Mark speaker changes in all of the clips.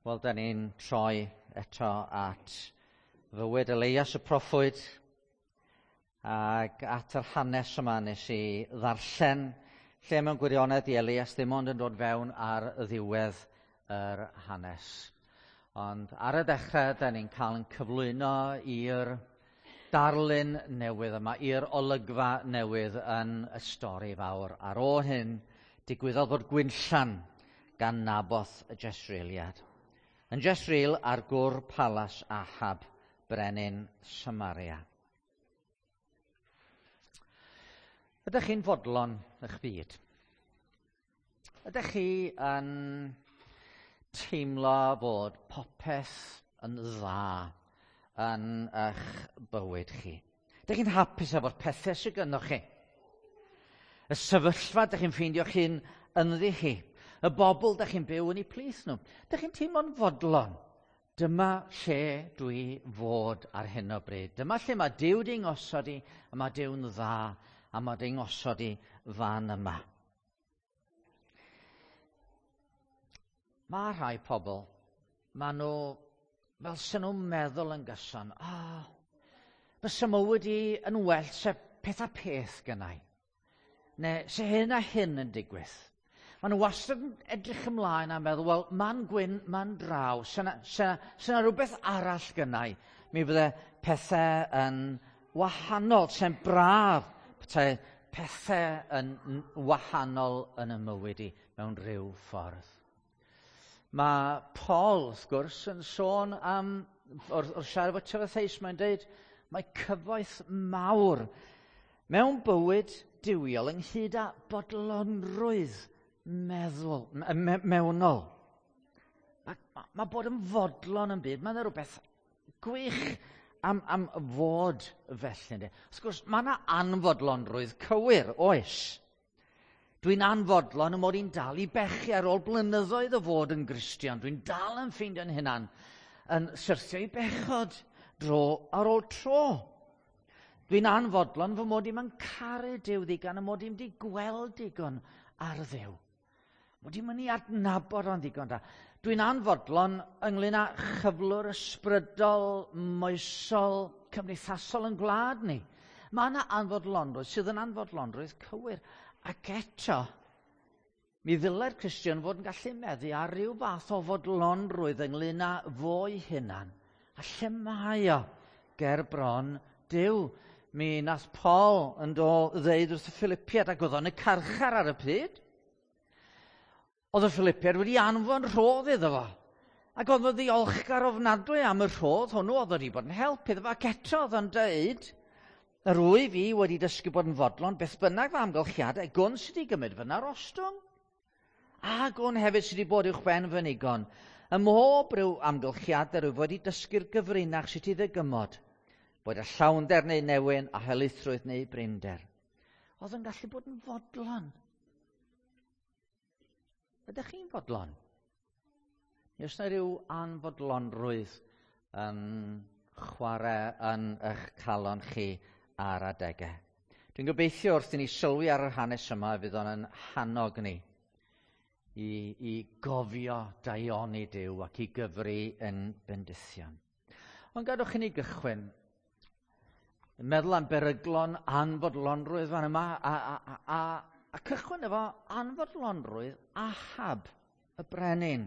Speaker 1: Wel, da ni'n troi eto at fywyd Elias y proffwyd ac at yr hanes yma nes i ddarllen lle mewn gwirionedd di Elias ddim ond yn dod fewn ar ddiwedd yr hanes. Ond ar y dechrau, da ni'n cael yn cyflwyno i'r darlun newydd yma, i'r olygfa newydd yn y stori fawr. Ar ôl hyn, digwyddodd fod gwinllan gan Naboth y Jesreeliad. Yn Jesreel ar gwr palas Ahab, brenin Samaria. Ydych chi'n fodlon eich byd? Ydych chi yn teimlo bod popeth yn dda yn eich bywyd chi? Ydych chi'n hapus efo'r pethau sydd gynnoch chi? Y sefyllfa ydych chi'n ffeindio chi'n ynddi chi? Y bobl ydych chi'n byw yn eu plith nhw? Ydych chi'n teimlo'n fodlon? Dyma lle dwi fod ar hyn o bryd. Dyma lle mae Duw di ngosod i, a mae Duw'n dda, a mae di ngosod i fan yma. Mae rhai pobl, maen nhw fel sy'n nhw'n meddwl yn gyson, ah, oh, fysa mywyd i yn well se peth a peth gynnau. Neu se hyn a hyn yn digwydd. Maen nhw wastad yn edrych ymlaen a meddwl, wel, man gwyn, man draw, se na, se na, se na rhywbeth arall gynnau, mi fydde pethau yn wahanol, se'n braf petai pethau yn wahanol yn y mywyd i mewn rhyw ffordd. Mae Paul, wrth gwrs, yn sôn am, wrth, wrth siarad efo Timotheus, mae'n dweud, mae cyfoeth mawr mewn bywyd duwiol ynghyd â bodlonrwydd meddwl, me, mewnol. Mae, mae, mae bod yn fodlon yn byd, mae'n rhywbeth gwych am, am fod felly. Ynddi? Wrth gwrs, mae yna anfodlonrwydd cywir, oes. Dwi'n anfodlon y mod i'n dal i bechu ar ôl blynyddoedd o fod yn Gristion. Dwi'n dal yn ffeindio'n hunan yn syrthio i bechod dro ar ôl tro. Dwi'n anfodlon fy mod i'm yn caru Duw ddigon y mod i'm wedi gweld digon ar Dduw. Mod i'n mynd i adnabod o'n ddigon da. Dwi'n anfodlon ynglyn â chyflwr ysbrydol, moesol, cymdeithasol yn gwlad ni. Mae yna anfodlonrwydd sydd yn anfodlonrwydd cywir. Ac eto, mi ddylai'r Cristion fod yn gallu meddu ar ryw fath o fodlonrwydd ynglyn â fo'i hunan. A lle mae o ger bron Duw? Mi nath Paul yn do ddeud wrth y Philippiad, ac oedd o'n y carchar ar y pryd, Oedd y Philipiaid wedi anfon rhodd iddo fo. Ac oedd o'n ddiolchgar ofnadwy am y rhodd hwnnw, oedd wedi bod yn help iddo fo, ac eto oedd o'n dweud, yr wyf i wedi dysgu bod yn fodlon, beth bynnag fy amgylchiadau, gwn sydd wedi gymryd fy narostwng, a gwn hefyd sydd wedi bod uwch ben fy nigon. Ym mhob rhyw amgylchiadau rwyf wedi dysgu'r gyfrinach sut i ddygymod, boed y llawnder neu newyn, a helaethrwydd neu brinder. Oedd yn gallu bod yn fodlon. Ydych chi'n fodlon? Neu oes yna rhyw anfodlonrwydd yn chwarae yn eich calon chi ar adegau? Dwi'n gobeithio wrth i ni sylwi ar yr hanes yma fydd o'n yn hannog ni i, i gofio daioni Duw ac i gyfri yn bendithion. Ond gadwch i ni gychwyn yn meddwl am beryglon anfodlonrwydd fan yma a, a, a, a, a cychwyn efo anfodlonrwydd Ahab, y brenin.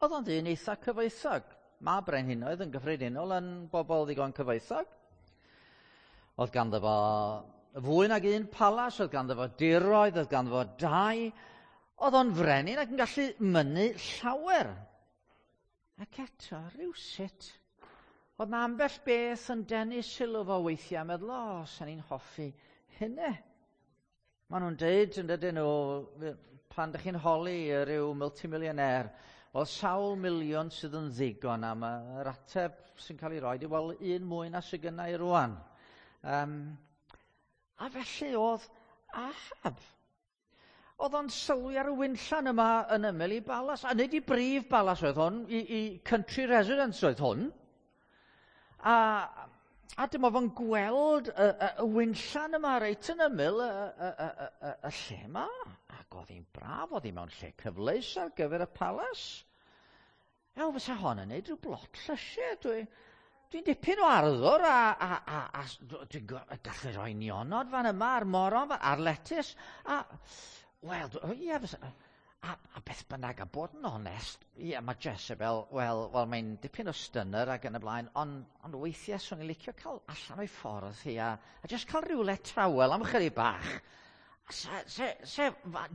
Speaker 1: Oedd o'n ddyn eitha cyfoethog. Mae brenhinoedd yn gyffredinol yn bobl ddigon cyfoethog. Oedd ganddo fo fwy nag un palas, oedd ganddo fo diroedd, oedd ganddo fo dai. Oedd o'n frenin ac yn gallu mynnu llawer. Ac eto, rhywsut, oedd na ambell beth yn denu sylw fo weithiau, meddwl, o, oh, sa'n ni'n hoffi hynny. Maen nhw'n deud, yn dydyn nhw, pan ydych chi'n holi rhyw multimillionaire, wel, sawl miliwn sydd yn ddigon am yr ateb sy'n cael ei roi, wel, un mwy na sydd gynna i rwan. Um, a felly oedd Ahab. Oedd o'n sylwi ar y winllan yma yn ymyl i balas, a nid i brif balas oedd hwn, i, i country residence oedd hwn. A, a dyma fo'n gweld y, y, y winllan yma reit yn ymyl y, y, y, y, y, y lle yma. Ac oedd hi'n braf, oedd hi mewn lle cyfleus ar gyfer y palas. Ew, fysa hon yn neud rhyw blot llysiau. Dwi'n dwi dipyn o arddwr a dwi'n gallu rhoi nionod fan yma a'r moron a'r letys. A, wel, ie, fysa, a beth bynnag, a bod yn onest, ie, mae Jezebel, wel mae'n dipyn o stunner ac yn y blaen, ond weithiau swn i'n licio cael allan o'i ffordd hi a just cael rhywle tawel am chydig bach. Se,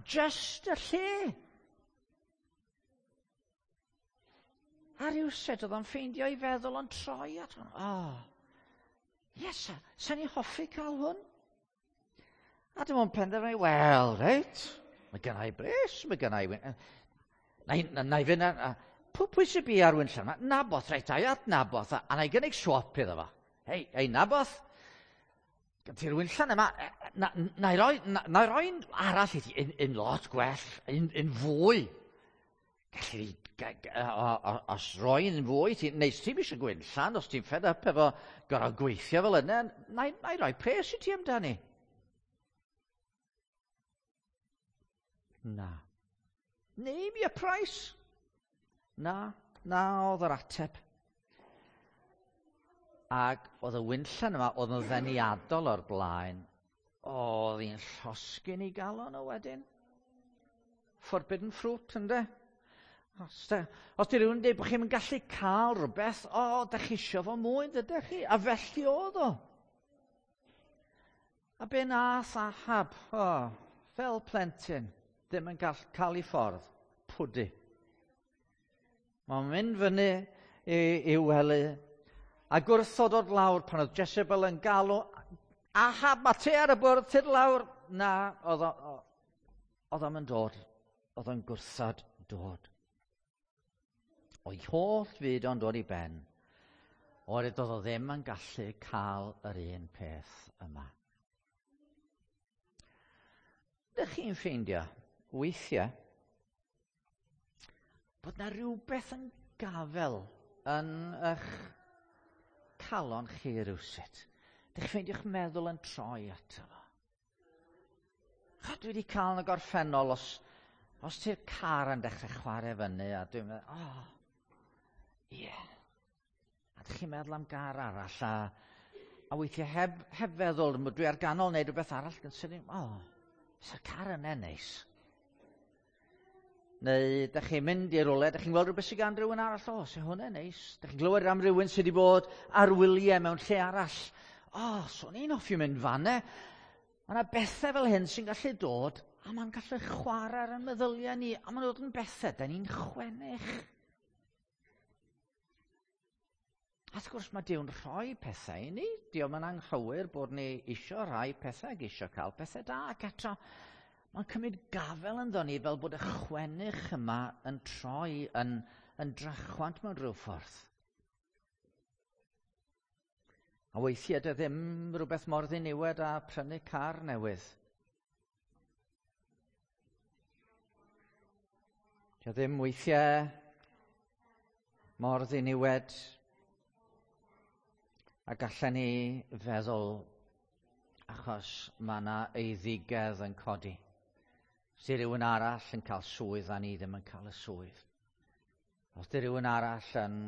Speaker 1: just y lle. A rhywsut oedd o'n ffeindio i feddwl o'n troi at hwn. Oh, yes, sa ni hoffi cael hwn? A dim ond penderfynu, wel, reit, mae gynna i bres, mae gynna i... Na i fynd a pwy sy'n bu ar winllan yma? Naboth, reit, ai at Naboth, a na i gynnig swap iddo fo. Hei, Naboth, gen ti'r winllan yma, na i roi arall i ti, un lot gwell, un fwy. Gallu os roi un fwy, neu ti'n eisiau gwynllan, os ti'n fed up efo gorfod gweithio fel yna, na i roi pres i ti amdani. Na. Name your price. Na oedd yr ateb. Ac oedd y winllan yma, oedd yn ddeniadol o'r blaen, oedd hi'n llosgyn i galon o wedyn. Forbidden fruit, ynddo? Os di rhywun yn dweud bod chi'n gallu cael rhywbeth, o, da chi isio fo mwy, dydych chi? A felly oedd o. A be nath Ahab, fel plentyn, ddim yn cael ei ffordd, pwdu. Mae'n mynd fyny i'w wely, a gwrthod o'r lawr pan oedd Jezebel yn galw, Ahab, mae te ar y bwrdd, tyd lawr. Na, oedd o'n dod, oedd o'n gwrthod dod. O'i holl fyd o'n dod i ben, oherwydd doedd o ddim yn gallu cael yr un peth yma. Ydych chi'n ffeindio, weithiau, bod na rhywbeth yn gafel yn eich calon chi rywsut. Ydych chi'n ffeindio'ch meddwl yn troi ato fo. Dwi wedi cael yn y gorffennol os ti'r car yn dechrau chwarae fyny a dwi'n meddwl, ie. Yeah. A ydych chi'n meddwl am gar arall a weithiau heb feddwl, dwi ar ganol wneud rhywbeth arall yn sydyn, fysa'r car yna neis. Neu ydych chi'n mynd i rywle, ydych chi'n gweld rhywbeth sydd gan rhywun arall, sy'n hwnna neis. Ydych chi'n glywed am rhywun sydd wedi bod ar wyliau mewn lle arall. Swn i'n hoffi mynd fanne. Mae yna bethau fel hyn sy'n gallu dod, a mae'n gallu chwarae ar ein meddyliau ni, a mae'n dod yn bethau, da ni'n chwennych. A wrth gwrs mae Duw'n rhoi pethau i ni. Dio'm yn anghywir bod ni isio rhai pethau ac isio cael pethau da, ac eto mae'n cymryd gafel ynddo ni fel bod y chwennych yma yn troi yn drachwant mewn rhyw ffordd. A weithiau dy ddim rhywbeth mor ddiniwed â prynu car newydd. Dy ddim weithiau mor ddiniwed a gallen ni feddwl achos mae yna eiddigedd yn codi. Os di rhywun arall yn cael swydd a ni ddim yn cael y swydd. Os di rhywun arall yn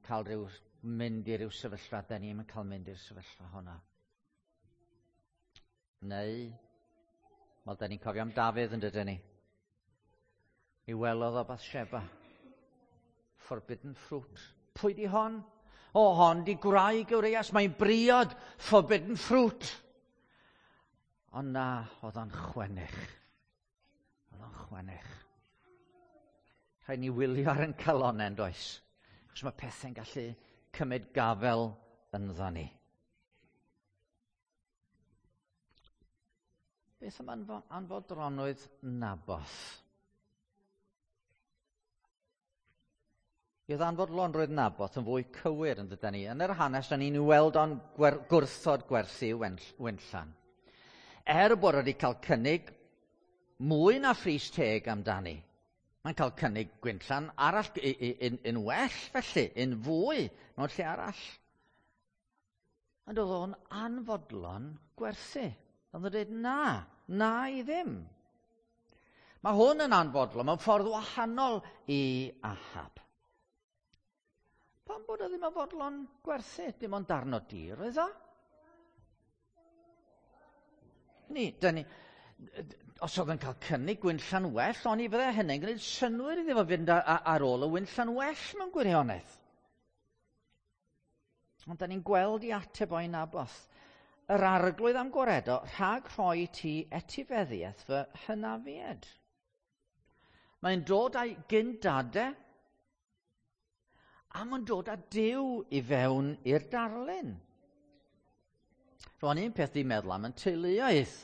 Speaker 1: cael rhyw mynd i ryw sefyllfa, da ni ddim yn cael mynd i'r sefyllfa hwnna. Neu, wel, da ni'n cofio am Dafydd yn dydyn ni. I welodd o Bathsheba. Forbidden fruit. Pwy di hon? O, hon di gwraig Urias, mae'n briod, forbidden fruit. Ond na, oedd o'n chwennych. Oedd o'n chwennych. Rhaid ni wylio ar ein calonnau, does? Achos mae pethau'n gallu cymryd gafel ynddo ni. Beth am anfodronwydd Naboth? I oedd anfodlonrwydd Naboth yn fwy cywir yn dydyn ni. Yn yr hanes, da ni'n weld o'n gwrthod gwerthu winllan. Er bod wedi cael cynnig mwy na phris teg amdani. Mae'n cael cynnig gwinllan arall, un well felly, un fwy mewn lle arall. Ond oedd o'n anfodlon gwerthu. Oedd o'n dweud na i ddim. Mae hwn yn anfodlon mewn ffordd wahanol i Ahab. Pam bod o ddim yn fodlon gwerthu? Dim ond darn o dir oedd o. Ni, dyn ni, os oedd yn cael cynnig gwynllan well, oni fydde hynny'n gwneud synnwyr iddo fo fynd ar ôl y wynllan well mewn gwirionedd. Ond da ni'n gweld i ateb o'i Naboth. Yr arglwydd am gwaredo rhag rhoi ti etifeddiaeth fy hynafied. Mae'n dod â'i gyndadau a mae'n dod â Duw i fewn i'r darlun. Rwan un peth di meddwl am yn teuluoedd.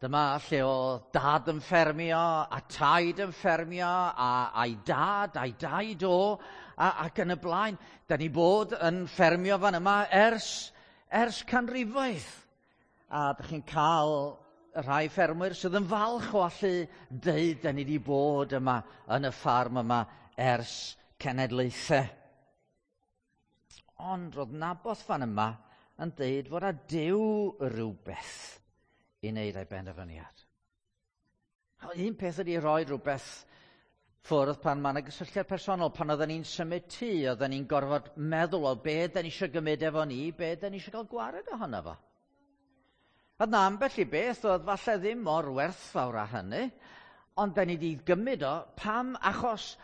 Speaker 1: Dyma lle oedd dad yn ffermio, a taid yn ffermio, a'i dad, a'i daid o, ac yn y blaen. Da ni bod yn ffermio fan yma ers canrifoedd. A da chi'n cael rhai ffermwyr sydd yn falch o allu deud da ni wedi bod yma yn y ffarm yma ers cenedlaethau. Ond roedd Naboth fan yma yn deud fod a Duw rhywbeth i wneud ei benderfyniad. Un peth ydy rhoi rhywbeth ffwrdd pan mae yna gysylltiad personol. Pan oedden ni'n symud tŷ, oedden ni'n gorfod meddwl o be da ni eisiau gymryd efo ni, be da ni eisiau cael gwared ohono fo. A na ambell i beth oedd falle ddim mor werthfawr â hynny, ond da ni wedi gymryd o, pam? Achos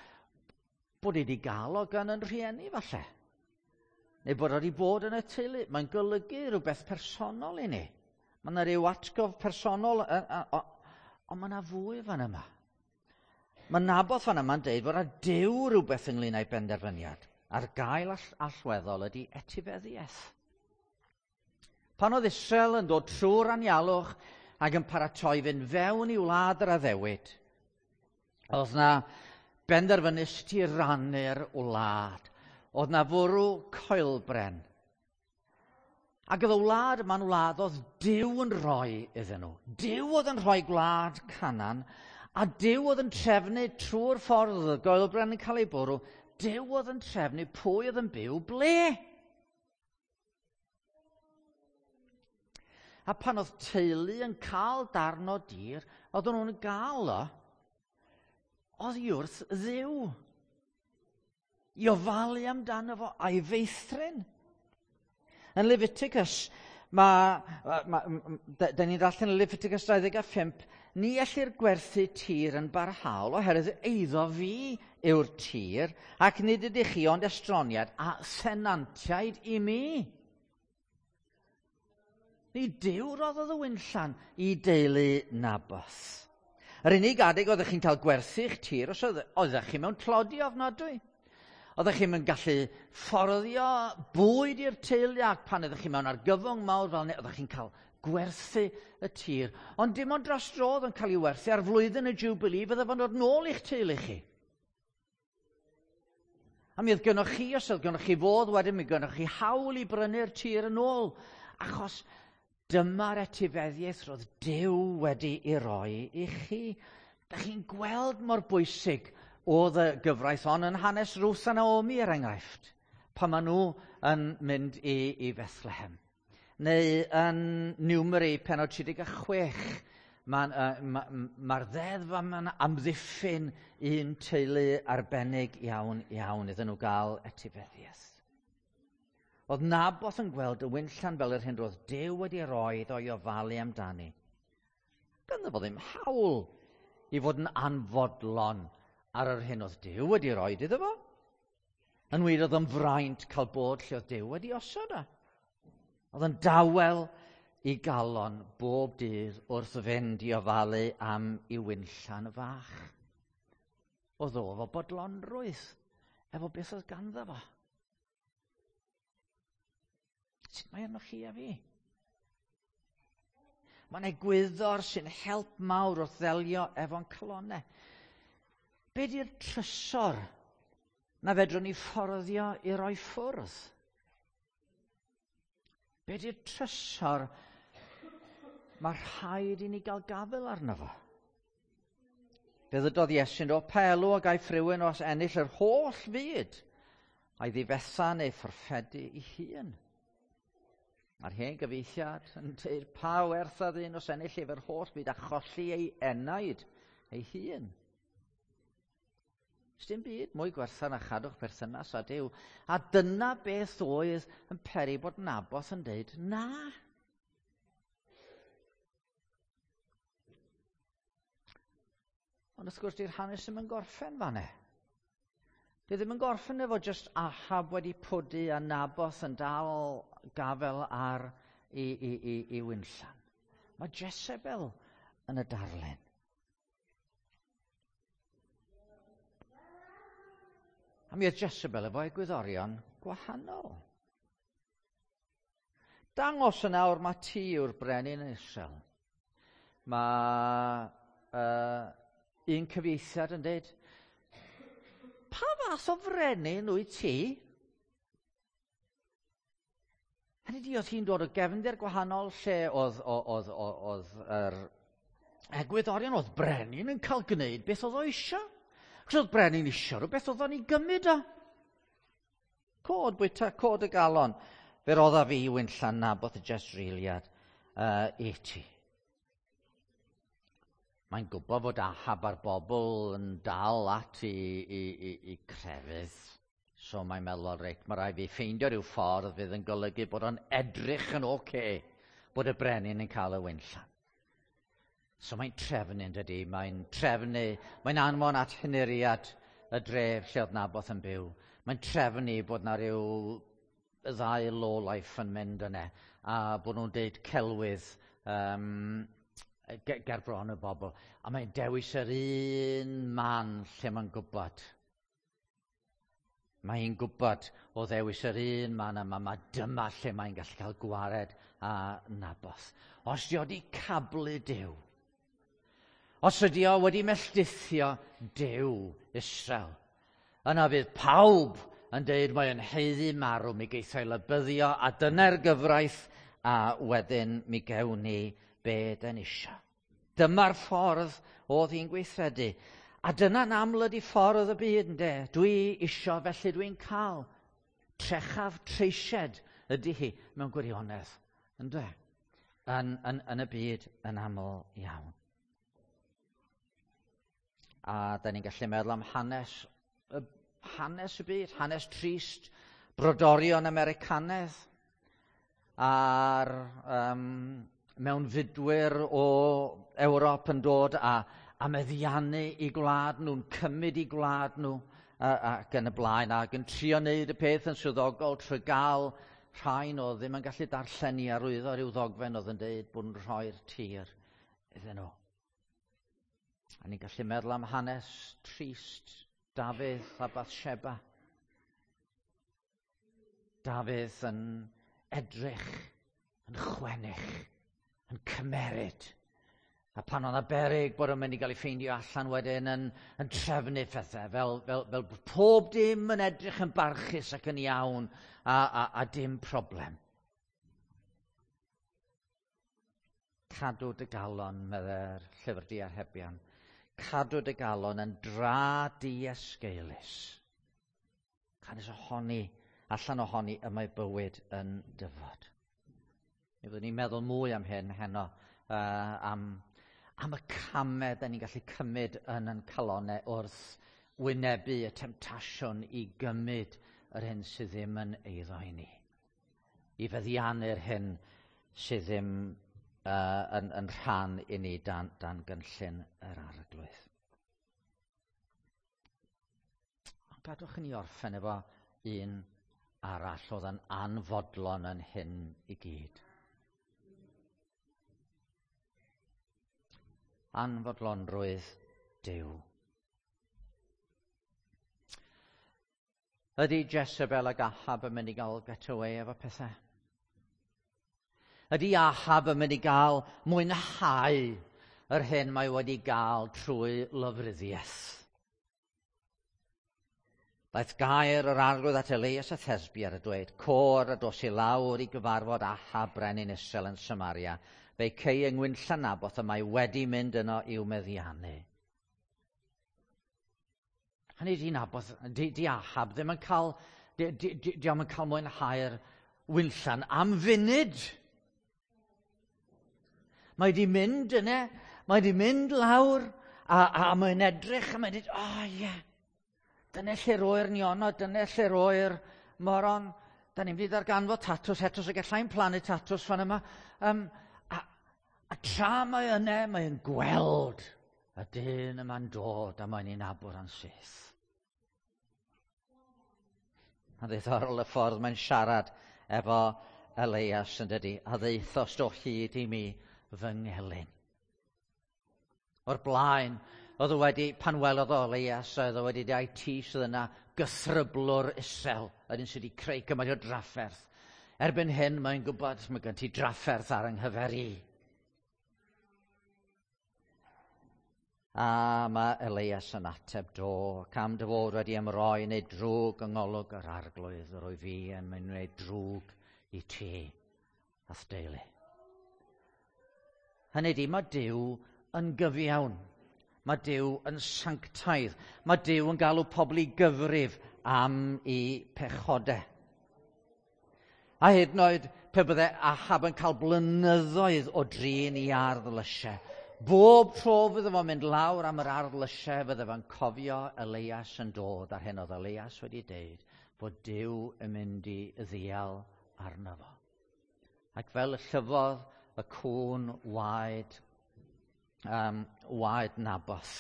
Speaker 1: bod ni wedi gael o gan yn rhieni falle. Neu bod o wedi bod yn y teulu. Mae'n golygu rhywbeth personol i ni. Mae yna rhyw atgof personol, ond mae yna fwy fan yma. Mae Naboth fan yma'n deud fod a Duw rhywbeth ynglyn â'i benderfyniad. A'r gael allweddol ydy etifeddiaeth. Pan oedd Israel yn dod trwy'r anialwch ac yn paratoi fynd fewn i wlad yr addewid, oedd na benderfynu sut i rannu'r wlad. Oedd na fwrw coelbren. Ac oedd y wlad yma'n wlad oedd Duw yn rhoi iddyn nhw. Duw oedd yn rhoi gwlad Canan, a Duw oedd yn trefnu trwy'r ffordd oedd y goelbren yn cael ei bwrw. Duw oedd yn trefnu pwy oedd yn byw ble. A pan oedd teulu yn cael darn o dir, oedden nhw'n gael o oddi wrth Dduw. I ofalu amdano fo a'i feithrin. Yn Leviticus, da ni'n darllen yn Leviticus 25, ni ellir gwerthu tir yn barhaol oherwydd eiddo fi yw'r tir, ac nid ydych chi ond estroniad a thenantiaid i mi. Ni Duw roddodd y wynllan i deulu Naboth. Yr unig adeg oeddech chi'n cael gwerthu'ch tir os oeddech chi mewn tlodi ofnadwy. Oeddech chi'n gallu fforddio bwyd i'r teulu ac pan oeddech chi mewn argyfwng mawr fel 'ny, oeddech chi'n cael gwerthu y tir. Ond dim ond dros dro oedd yn cael ei werthu ar flwyddyn y Jubilee fydde fo'n dod nôl i'ch teulu chi. A mi oedd gynnoch chi, os oedd gynnoch chi fodd wedyn, mi gynnoch chi hawl i brynu'r tir yn ôl. Achos dyma'r etifeddiaeth roedd Duw wedi ei roi i chi. Da chi'n gweld mor bwysig oedd y gyfraith hon yn hanes Ruth a Naomi, er enghraifft, pan maen nhw yn mynd i Bethlehem. Neu yn Numeri pennod 36, mae'r ddeddf yma'n amddiffyn un teulu arbennig iawn iawn iddyn nhw gael etifeddiaeth. Oedd Naboth yn gweld y wynllan fel yr hyn roedd Duw wedi roi iddo i ofalu amdani. Ganddo fo ddim hawl i fod yn anfodlon ar yr hyn oedd Duw wedi roi iddo fo. Yn wir oedd yn fraint cael bod lle oedd Duw wedi osod o. Oedd yn dawel i galon bob dydd wrth fynd i ofalu am i wynllan fach. Oedd o efo bodlonrwydd, efo beth oedd ganddo fo. Sut mae arnoch chi a fi? Mae'n egwyddor sy'n help mawr wrth ddelio efo'n calonnau. Be di'r trysor na fedrwn ni fforddio i roi ffwrdd? Be di'r trysor mae rhaid i ni gael gafael arno fo? Fe ddydodd Iesu'n dod, pa elw a gaiff rhywun os ennill yr holl fyd a'i ddifetha neu fforffedu ei hun? Mae'r hen gyfeithiad yn dweud pa werth a ddyn os ennill ef yr holl fyd a cholli ei enaid ei hun. Sdim byd mwy gwerthfawr na chadw'ch perthynas â Duw. A dyna beth oedd yn peri bod Naboth yn deud na. Ond wrth gwrs, di'r hanes ddim yn gorffen fanne. Di ddim yn gorffen efo just Ahab wedi pwdu a Naboth yn dal gafel ar i, i, i, i winllan. Mae Jezebel yn y darlun. A mi oedd Jezebel efo egwyddorion gwahanol. Dangos yn awr mae ti yw'r brenin yn Israel. Mae un cyfieithiad yn dweud, pa fath o frenin wyt ti? Hynny di, oedd hi'n dod o gefndir gwahanol lle oedd, oedd, oedd, oedd yr egwyddorion, oedd brenin yn cael gwneud beth oedd o eisiau. Chos oedd brenin eisiau rhywbeth oedd o'n ei gymryd o. Cod bwyta, cod y galon. Fe rodda fi winllan Naboth y Jezreeliad i ti. Mae'n gwybod fod Ahab a'r bobl yn dal at i, i, i, i crefydd. So mae'n meddwl, reit, mae rhaid fi ffeindio rhyw ffordd fydd yn golygu bod o'n edrych yn oce okay, bod y brenin yn cael y winllan. So mae'n trefnu, yn dydy, mae'n trefnu, mae'n anfon at henuriad y dref lle oedd Naboth yn byw. Mae'n trefnu bod na rhyw ddau lowlife yn mynd yna, a bod nhw'n deud celwydd ger bron y bobl. A mae'n dewis yr un man lle mae'n gwybod. Mae hi'n gwybod o ddewis yr un man yma, mae dyma lle mae'n gallu cael gwared a Naboth. Os di o wedi cablu Duw, os ydi o wedi melltithio Duw Israel, yna fydd pawb yn deud mae yn haeddu marw, mi geith o'i lybyddio, a dyna'r gyfraith, a wedyn mi gewn ni be dyn isio. Dyma'r ffordd oedd hi'n gweithredu. A dyna'n aml ydi ffordd y byd, ynde? Dwi isio, felly dwi'n cael. Trechaf treisied ydy hi mewn gwirionedd, ynde? Yn, yn, yn y byd yn aml iawn. A da ni'n gallu meddwl am hanes, y, hanes y byd, hanes trist, brodorion Americanedd, a'r mewnfudwyr o Ewrop yn dod a, a meddiannu i gwlad nhw'n cymryd i gwlad nhw ac yn y blaen, ac yn trio wneud y peth yn swyddogol trwy gael rhai o ddim yn gallu darllen i arwyddo rhyw ddogfen oedd yn deud bod nhw'n rhoi'r tir iddyn nhw. A ni'n gallu meddwl am hanes trist Dafydd a Bathsheba. Dafydd yn edrych, yn chwennych, yn cymeryd. A pan oedd 'na beryg bod o'n mynd i gael ei ffeindio allan wedyn yn, yn trefnu pethau, fel, fel, fel pob dim yn edrych yn barchus ac yn iawn a, a, a dim problem. Cadw dy galon, meddai'r llyfr diarhebion. Cadw dy galon yn dra diesgeulus. Canys ohoni, allan ohoni y mae bywyd yn dyfod. Mi fyddwn ni'n meddwl mwy am hyn heno, am, am y camau da ni'n gallu cymryd yn ein calonau wrth wynebu y temtasiwn i gymryd yr hyn sydd ddim yn eiddo i ni. I feddiannu'r hyn sydd ddim yn, yn rhan i ni dan, dan gynllun yr arglwydd. Ond gadwch i ni orffen efo un arall oedd yn anfodlon yn hyn i gyd. Anfodlonrwydd Duw. Ydy Jezebel ac Ahab yn mynd i gael getaway efo pethau? Ydy Ahab yn mynd i gael mwynhau yr hyn mae wedi gael trwy lofruddiaeth? Daeth gair yr arglwydd at Elias a Thesbi ar y dweud, Côr a dos i lawr i gyfarfod Ahab brenin Israel yn Samaria. Fe'i cei yng Ngwynllan Naboth y mae wedi mynd yno i'w meddiannu. Hynny di Naboth, di, di Ahab ddim yn cael, di, di, di, di yn cael mwynhau'r winllan am funud. Mae di mynd yna, mae di mynd lawr, a, a mae'n edrych, a mae'n dweud, o oh, ie, yeah. Dyna lle roi'r nionod, dyna lle roi'r moron. Da ni'n mynd i ddarganfod tatws eto, so gallai'n plannu tatws fan yma. A tra mae yna, mae'n gweld y dyn yma'n dod a mae'n ei nabod yn syth. Mae'n ddiddorol y ffordd mae'n siarad efo Elias yn dydi, a ddeuthost o hyd i mi fy ngelyn. O'r blaen, oedd o wedi, pan welodd o Elias, oedd o wedi dweud, ti sydd yna gythryblwr isel, yr un sydd wedi creu gymaint o drafferth. Erbyn hyn, mae'n gwybod, mae gen ti drafferth ar yng nghyfer i. A mae Elias yn ateb, do, cam dy fod wedi ymroi neu drwg yng ngolwg yr arglwydd, yr oedd fi yn mynd wneud drwg i ti a'th deulu. Hynny ydi, mae Duw yn gyfiawn. Mae Duw yn sanctaidd. Mae Duw yn galw pobl i gyfrif am i pechodau. A hyd yn oed pe bydde Ahab yn cael blynyddoedd o drin i ardd lysiau, bob tro fydde fo'n mynd lawr am yr ardd lysiau, fydde fo'n cofio Elias yn dod, a'r hyn oedd Elias wedi deud, bod Duw yn mynd i ddial arno fo. Ac fel y llyfodd y cŵn waed, waed Naboth,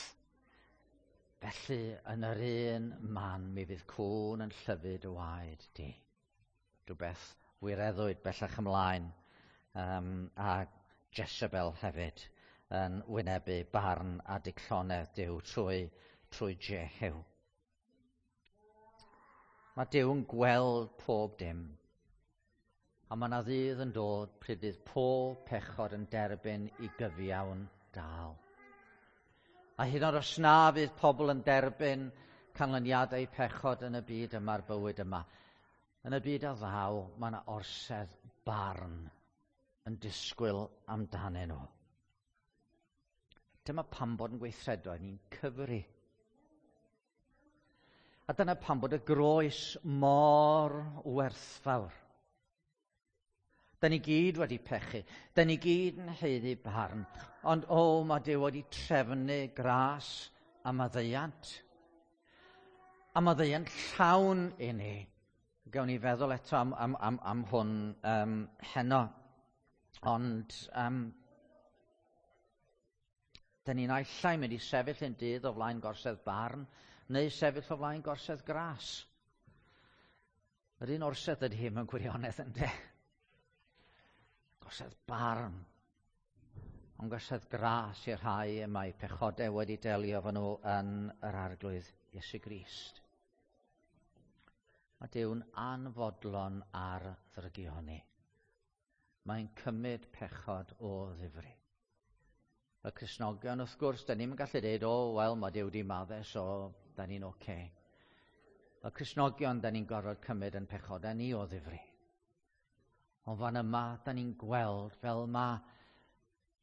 Speaker 1: felly yn yr un man mi fydd cŵn yn llyfyd y waed di. Rhywbeth wireddwyd bellach ymlaen, a Jezebel hefyd yn wynebu barn a dicllonedd Duw trwy Jehu. Mae Duw yn gweld pob dim, a mae yna ddydd yn dod pryd fydd pob pechod yn derbyn i gyfiawn dal. A hyd yn oed os na fydd pobl yn derbyn canlyniadau pechod yn y byd yma'r bywyd yma, yn y byd a ddaw, mae yna orsedd barn yn disgwyl amdanyn nhw. Dyma pam bod yn gweithredoedd ni'n cyfri. A dyna pam bod y groes mor werthfawr. Da ni gyd wedi pechu. Da ni gyd yn haeddu barn. Ond o, mae Duw wedi trefnu gras a maddeuant. A maddeuant llawn i ni. Gawn ni feddwl eto am hwn heno. Ond da ni'n naill ai mynd i sefyll yn dydd o flaen gorsedd barn, neu sefyll o flaen gorsedd gras. Yr un orsedd ydy hi mewn gwirionedd, ynde? Gorsedd barn, ond gorsedd gras i'r rhai y mae pechodau wedi delio efo nhw yn yr Arglwydd Iesu Grist. Mae Duw'n anfodlon ar ddrygioni. Mae'n cymryd pechod o ddifri. Y Cristnogion, wrth gwrs, da ni'n gallu dweud, o, wel, mae Duw wedi maddau, so da ni'n oce. Y Cristnogion, da ni'n gorfod cymryd yn pechodau ni o ddifri. Ond fan yma, da ni'n gweld fel mae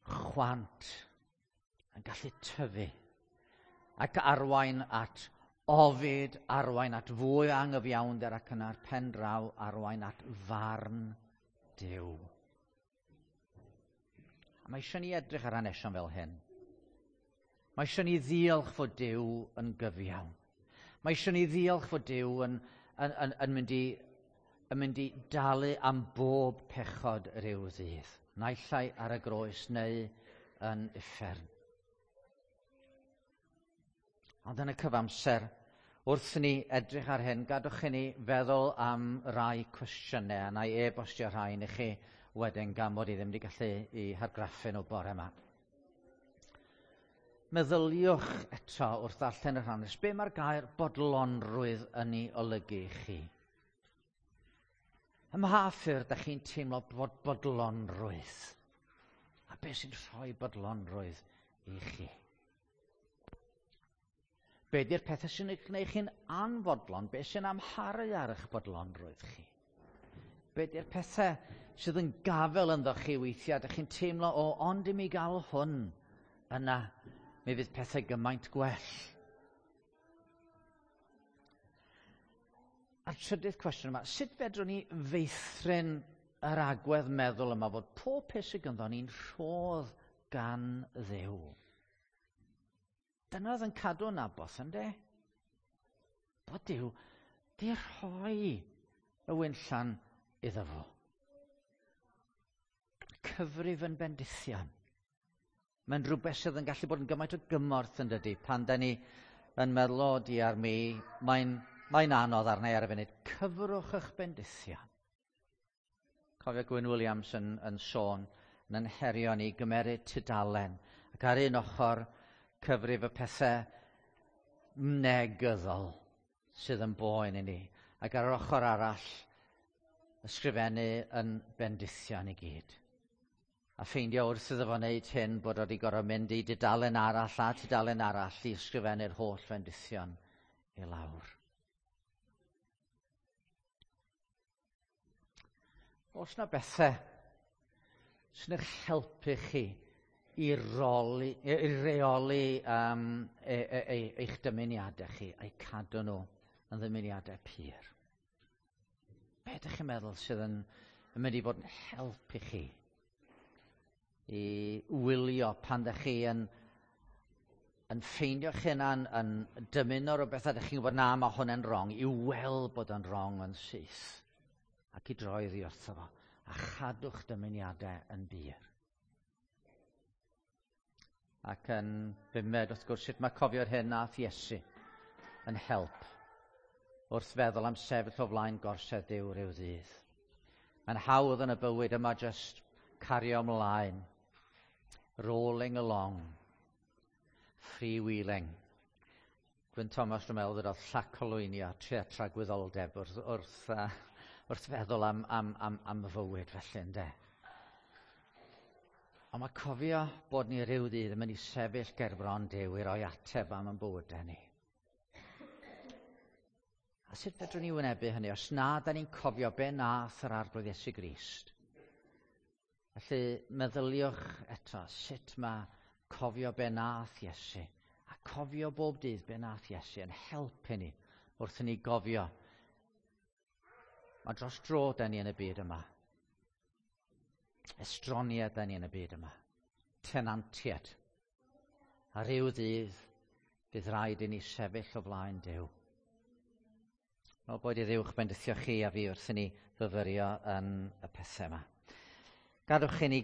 Speaker 1: chwant yn gallu tyfu ac arwain at ofid, arwain at fwy o angyfiawnder ac yna'r pen draw arwain at farn Duw. A mae eisiau ni edrych ar hanesion fel hyn. Mae eisiau ni ddiolch fod Duw yn gyfiawn. Mae eisiau ni ddiolch fod Duw yn mynd i dalu am bob pechod ryw ddydd, naill ai ar y groes neu yn uffern. Ond yn y cyfamser, wrth ni edrych ar hyn, gadwch i ni feddwl am rai cwestiynau, a na i e-bostio rhain i chi wedyn gan mod i ddim wedi gallu i hargraffu nhw bore yma. Meddyliwch eto wrth ddarllen yr hanes, be mae'r gair bodlonrwydd yn ei olygu i chi? Ym mha ffyrdd dach chi'n teimlo bod bodlonrwydd? A be sy'n rhoi bodlonrwydd i chi? Be di'r pethau sy'n eich gwneud chi'n anfodlon? Be sy'n amharu ar eich bodlonrwydd chi? Be di'r pethau sydd yn gafel ynddo chi weithiau? Dych chi'n teimlo, o, ond i mi gael hwn, yna mi fydd pethau gymaint gwell. A'r trydydd cwestiwn yma, sut fedrwn ni feithrin yr agwedd meddwl yma fod pob peth sydd ganddo ni'n rhodd gan Dduw? Dyna oedd yn cadw Naboth, ynde? Bod Duw 'di rhoi y winllan iddo fo. Cyfrif yn bendithion. Mae'n rhywbeth sydd yn gallu bod yn gymaint o gymorth yn dydy, pan da ni yn meddwl, o diar mi, mae'n anodd arna i ar y funud. Cyfrwch eich bendithion. Cofio Gwyn Williams yn sôn, yn herio ni gymeryd tudalen, ac ar un ochr cyfrif y pethau negyddol sydd yn boen i ni, ac ar yr ochr arall ysgrifennu yn bendithion i gyd. A ffeindio wrth iddo fo wneud hyn bod o wedi gorfod mynd i dudalen arall a tudalen arall i ysgrifennu'r holl fendithion i lawr. Oes na bethau sy'n eich helpu chi i reoli eich dymuniadau chi a'u cadw nhw yn ddymuniadau pur? Be ydych chi'n meddwl sydd yn mynd i fod yn help i chi i wylio pan ydych chi yn ffeindio'ch hunan yn dymuno rhywbeth a ydych chi'n gwybod na, mae hwn yn wrong, i weld bod yn wrong yn syth ac i droi oddi wrtho fo a chadw'ch dymuniadau yn bur. Ac yn bumed, wrth gwrs, sut mae cofio'r hyn nath Iesu yn help wrth feddwl am sefyll o flaen gorsedd Duw rhyw ddydd. Mae'n hawdd yn y bywyd yma just cario ymlaen, rolling along, freewheeling. Gwyn Thomas, dwi'n meddwl, ddodd llac olwynio, tria tragwyddoldeb wrth feddwl am fywyd felly, ynde. Ond mae cofio bod ni rhyw ddydd yn mynd i sefyll ger bron Duw i roi ateb am ein bywydau ni. A sut fedrwn ni wynebu hynny os na da ni'n cofio be nath yr Arglwydd Iesu Grist? Felly meddyliwch eto sut mae cofio be nath Iesu a cofio bob dydd be nath Iesu yn helpu ni wrth i ni gofio. Mae dros dro da ni yn y byd yma. Estroniad da ni yn y byd yma. Tenantiad. A rhyw ddydd bydd rhaid i ni sefyll o flaen Duw. O, boed i Dduw'ch bendithio chi a fi wrth i ni fyfyrio yn y pethau yma. Gadwch i ni